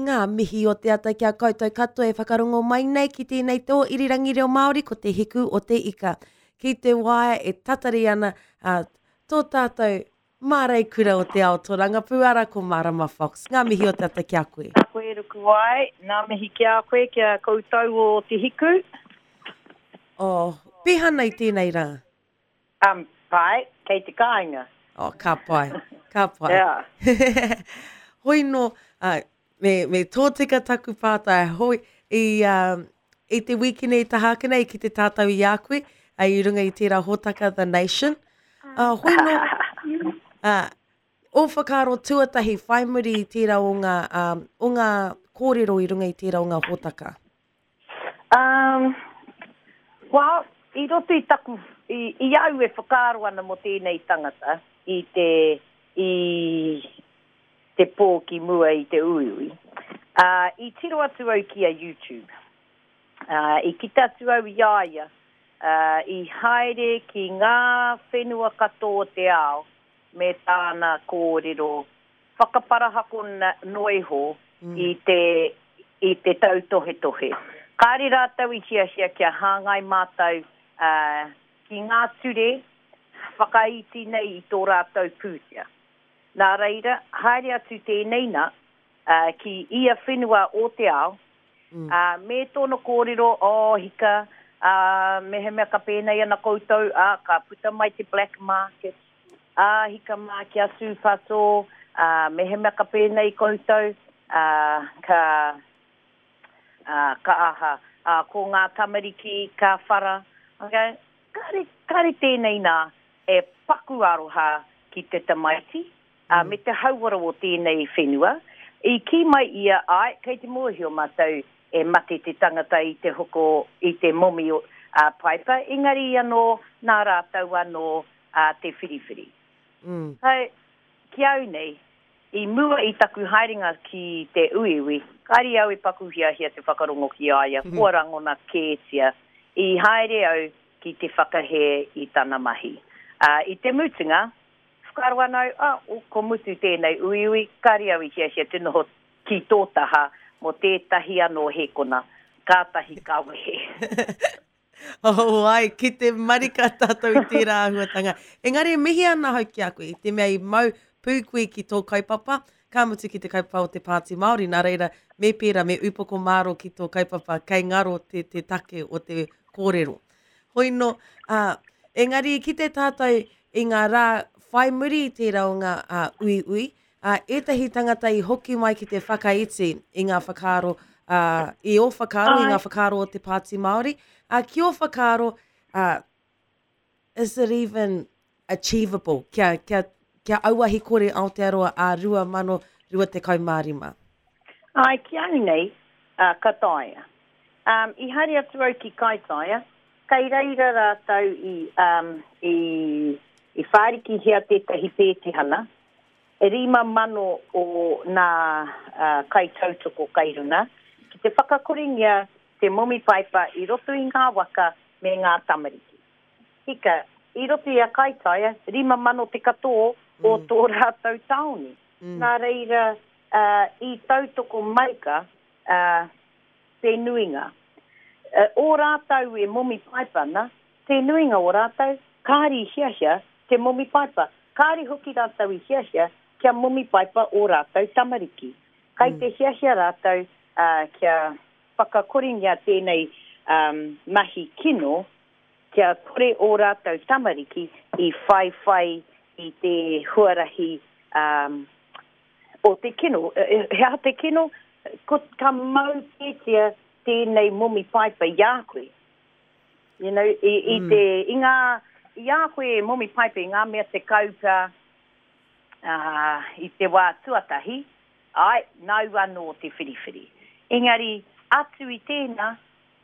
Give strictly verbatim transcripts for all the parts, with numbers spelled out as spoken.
Ngā mihi o te ata ki a koutou katoa e whakarongo mai nei ki tēnei tō irirangi reo Māori ko te hiku o te ika. Ki te waea e tatari ana uh, tō tātou māreikura o te ao tōrangapū ara ko Marama Fox. Ngā mihi o te ata ki a koe. Nā koe Rukuwai, ngā mihi ki a koe, ki a koutou o te hiku. Oh, pēhea nei tēnei rā? Um, pai, kei te kāinga. Oh, ka pai, ka pai. Yeah. Hoi no, uh, me, me tōtika taku pātai, hoi, i, um, i te wīkene i taha ake nei ki te tātou i a koe, uh, i runga i tērā hōtaka The Nation. Uh, hoi no, uh, o whakaaro tuatahi whai muri i tērā o ngā, um, o ngā kōrero i runga i tērā o ngā hōtaka? Um, well, i roto i taku, i, i au e whakaaro ana mō tēnei tangata, i te, i te pō ki mua i te uiui. Uh, i tiro atu au ki a YouTube. Uh, i kite atu au i a ia, uh, i haere ki ngā whenua katoa o te ao me tāna kōrero whakaparahako noa iho mm. i te, i te tautohetohe. Kāre rātou i hiahia kia hāngai mātou uh, ki ngā ture whakaiti nei i tō rātou pūtea. Nā reira, haere atu tēnei nā, uh, ki ia whenua o te ao, mm. uh, me tōna kōrero, oh hika, uh, mehemea ka pēnei ana koutou, uh, ka puta mai te black market, uh, hika mā kia tūpato, uh, mehemea ka pēnei koutou, uh, ka, uh, ka aha, uh, ko ngā tamariki, ka whara, okay? Kāre, kāre tēnei nā e paku aroha ki te tamaiti, uh, me te hauora o tēnei whenua. I kī mai ia, ai, kei te mōhio mātou e mate te tangata i te hoko, i te momi uh, paipa, engari anō nā rātou anō uh, te whiriwhiri. Mm. Hei, ki au nei, i mua i taku haerenga ki te uiui, kāre au e paku hiahia te whakarongo ki a ia, kua rangona kētia, i haere au ki te whakahē i tana mahi. Uh, i te mutunga, whakaaro ana au, ah, oh, ko mutu tēnei uiui, kāre au i hiahia te noho ki tō taha mō tētahi anō hēkona, kātahi ka wehe. Oh, ai, ki te marika tātou i tērā āhuatanga. Engari, mihi ana hau ki a koe, i te mea i mau pū koe ki tō kaupapa, ka mutu ki te kaupapa o te Pāti Māori, nā reira, me pērā, me upoko māro ki tō kaupapa, kei ngaro te, te take o te kōrero. Hoi no, uh, engari ki te tātou i ngā rā whai muri i tērā o ngā uh, uiui, uh, ētahi tangata i hoki mai ki te whakaiti i ngā whakaaro, uh, i ō whakaaro, i ngā whakaaro o te Pāti Māori. Uh, ki ō whakaaro, uh, is it even achievable? Kia, kia, kia auahi kore Aotearoa a rua mano rua tekau mā rima. Ai, ki au nei, uh, ka taea. Um, i haere atu au ki Kaitaia, kei reira rātou i, um, i, i whārikihia tētahi pētihana, e rima mano o nā uh, kaitautoko kairuna, ki te whakakorengia te momi paipa i roto i ngā waka me ngā tamariki. Hika, i roto i a Kaitaia, rima mano te katoa o mm. tō rātou tāone. Mm. Nā reira, uh, i tautoko marika uh, te nuinga. Uh, o rātou e momi paipa ana, te nuinga o rātou, kāre i hiahia te momi paipa. Kāre hoki rātou i hiahia kia momi paipa o rātou tamariki. Kai Mm. te hiahia rātou uh, kia whakakorengia tēnei um, mahi kino, kia kore o rātou tamariki i whaiwhai i te huarahi um, o te kino. He aha te kino, ko, ka mau kētia tēnei momi paipa i a koe. You know, i, i Mm. te, i ngā, i a koe e momi paipa i ngā mea te kaupa uh, i te wā tuatahi, ai, nau anō te whiriwhiri. Engari, atu i tēnā,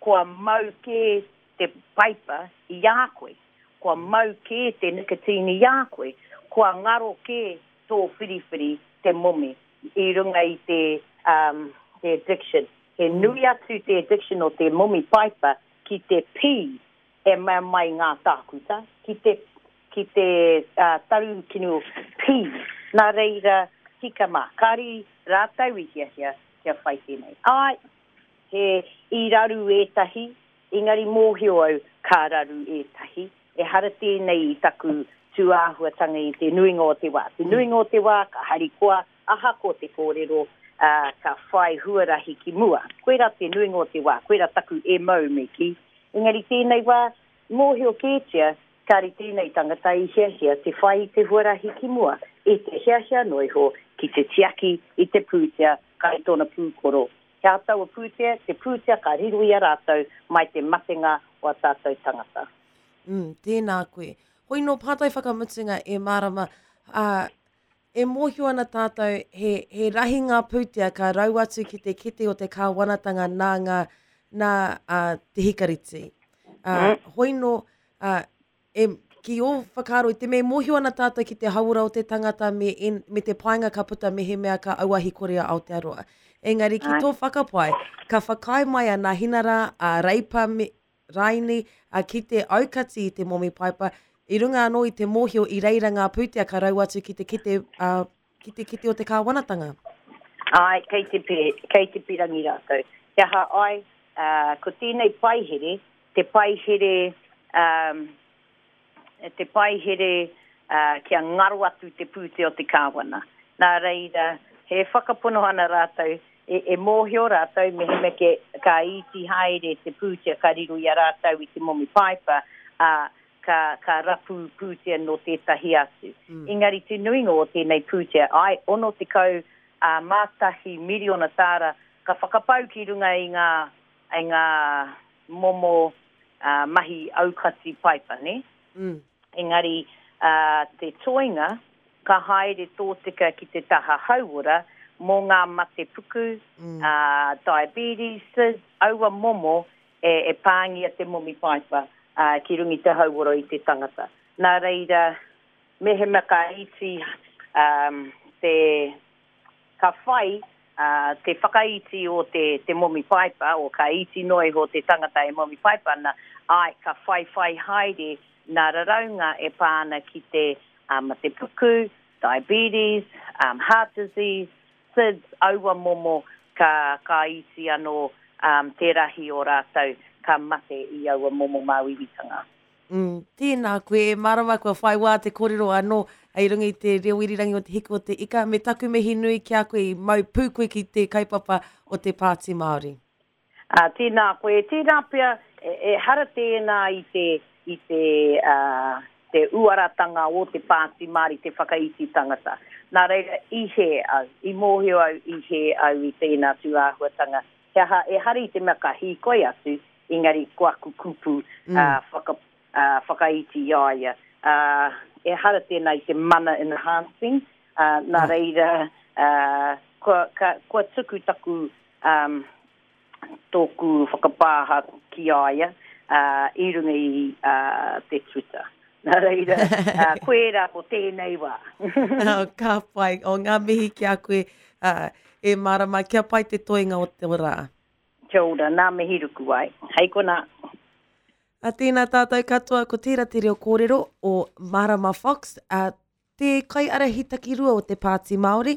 kua mau kē te paipa i a koe, kua mau kē te nicotine i a koe, kua ngaro kē tō whiriwhiri te momi i runga i te, um, te addiction. He nui atu te addiction o te momi paipa ki te pī e mea mai ngā tākuta, ki te, ki te uh, taru kino pī. Nā reira, hika mā, kāre rātou i hiahia kia whai tēnei. Ai, he i raru ētahi, engari mōhio au ka raru ētahi. Ehara tēnei i taku tūāhuatanga i te nuinga o te wā. Te nuinga o te wā, ka harikoa, ahakoa te kōrero, uh, ka whai huarahi ki mua. Koirā te nuinga o te wā, koirā taku M O me kī. Engari tēnei wā, mōhio kētia, kāre tēnei tangata i hiahia te whai i te huarahi ki mua, i te hiahia noa iho ki te tiaki i te pūtea kai tōna pūkoro. He aha taua pūtea, te pūtea ka riro i a rātou mai te matenga o a tātou tangata. Mm, tēnā koe. Hoi nō pātai whakamutunga e Mārama, uh, e mōhio ana tātou he, he rahi ngā pūtea ka rau atu ki te kete o te kāwanatanga nā ngā, nā uh, te hikariti. Uh, mm. Hoi nō, uh, e, ki ō whakaaro, i te mea mōhio ana tātou ki te hauora o te tangata me, en, me te painga ka puta mehemea ka auahi kore a Aotearoa. Engari ki tō whakapae, ka whakaae mai a Nāhinara, a Reipa me, Raini, a ki te aukati i te momi paipa, i runga anō i te mōhio i reira ngā pūtea ka rau atu ki te kete, uh, ki te kete o te kāwanatanga. Ai, kei te, pe, kei te pirangi rātou. He aha ai, uh, ko tēnei paihere, te paihere, um, te paihere uh, kia ngaro atu te pūtea o te kāwana. Nā reira, he whakapono ana rātou, e, e mōhio rātou mehemea ke, ka iti haere te pūtea ka riro i a rātou i te momi paipa, uh, ka, ka rapu pūtea no tētahi atu. Mm. Engari te nuinga o tēnei pūtea, ai, ono tekau uh, mātahi miriona tāra ka whakapau ki runga i ngā, i ngā momo uh, mahi aukati paipa, ne? Mm. Engari uh, te toinga ka haere tōtika ki te taha hauora mō ngā mate puku, mm. uh, diabetes, aua momo e, e pāngia te momi paipa uh, ki runga i te hauora i te tangata. Nā reira, mehemea ka iti um, te, ka whai uh, te whakaiti o te, te momi paipa, o ka iti noa iho te tangata e momi paipa ana, ai, ka whai whai haere nā raraunga e pā ana ki te um, mate puku, diabetes, um, heart disease, S I D S, aua momo ka, ka iti anō um, te rahi o rātou ka mate i aua momo māuiuitanga. Mm, tēnā koe, e Mārama, kua whai wā te kōrero anō hei runga i te reo irirangi o te hiku o te ika, me taku mihi nui ki a koe i mau pū koe ki te kaupapa o te Pāti Māori. Uh, tēnā koe, tēnā pea, e, e hara tēnā i te, i te, uh, te uaratanga o te Pāti Māori, te whakaiti tangata. Nā reira, i hē au, i mōhio au, i hē au i tēnā tūāhuatanga. He aha, e hari i te mea ka hīkoi atu, engari ko aku kupu mm. uh, whaka, uh, whakaiti i a ia. Uh, e hara tēnā i te mana enhancing, uh, nā reira, uh, kua, ka, kua tuku taku um, tōku whakapāha ki a ia uh, i runga i uh, te Twitter. Nā reira, uh, koe rā ko tēnei wā. Oh, ka pai, o ngā mihi ki a koe, uh, e Mārama, kia pai te toenga o te rā. Kia ora, nā mihi ruku ai. Hei konā. A tēnā tātou katoa, ko tērā te reo kōrero o Mārama Fox, a te kaiārahi takirua o te Pāti Māori,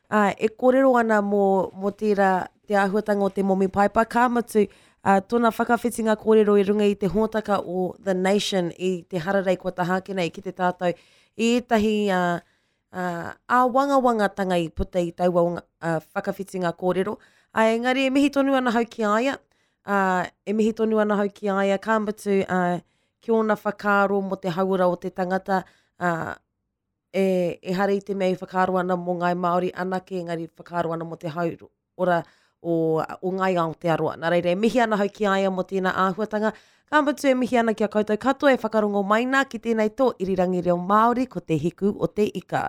a, e kōrero ana mō, mō tērā te āhuatanga o te momi paipa, ka mutu, a, tōna whakawhitinga kōrero i runga i te hōtaka o The Nation i te hararei kua taha ake nei ki te tātou i ētahi a, a, āwangawangatanga i puta i taua a, whakawhitinga kōrero. A, engari e mihi tonu ana hau ki a ia, a, e mihi tonu ana hau ki a ia, ka mutu a, ki ōna whakaaro mō te hauora o te tangata, a, e, e hara i te mea i whakaaro ana mō Ngāi Māori anake, engari whakaaro ana mō te hauora o, o Ngāi Aotearoa. Nā reira, e mihi ana hau ki a ia mō tēnā āhuatanga. Ka mutu e mihi ana ki a koutou katoa e whakarongo mai nā ki tēnei tō irirangi reo Māori ko te hiku o te ika.